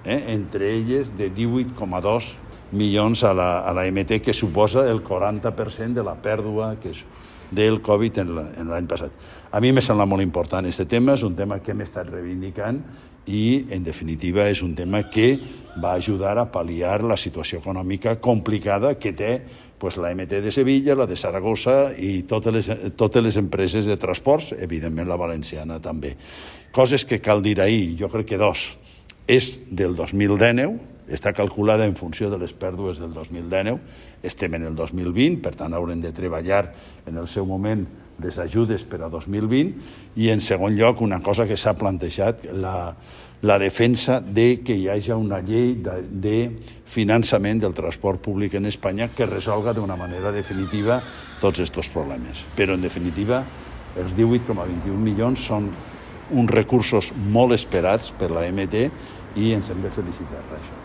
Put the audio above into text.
entre elles de 18,2 milions a la MT, que suposa el 40% de la pèrdua del Covid en l'any passat. A mi me sembla molt important aquest tema, és un tema que hem estat reivindicant i, en definitiva, és un tema que va ajudar a pal·liar la situació econòmica complicada que té la MT de Sevilla, la de Saragossa i totes les empreses de transports, evidentment la valenciana també. Coses que cal dir ahir, jo crec que dos. És del 2019, està calculada en funció de les pèrdues del 2019, estem en el 2020, per tant haurem de treballar en el seu moment les ajudes per a 2020, i en segon lloc una cosa que s'ha plantejat, la defensa de que hi hagi una llei de finançament del transport públic en Espanya que resolga d'una manera definitiva tots aquests problemes. Però en definitiva els 18,21 milions són uns recursos molt esperats per la MT i ens hem de felicitar per això.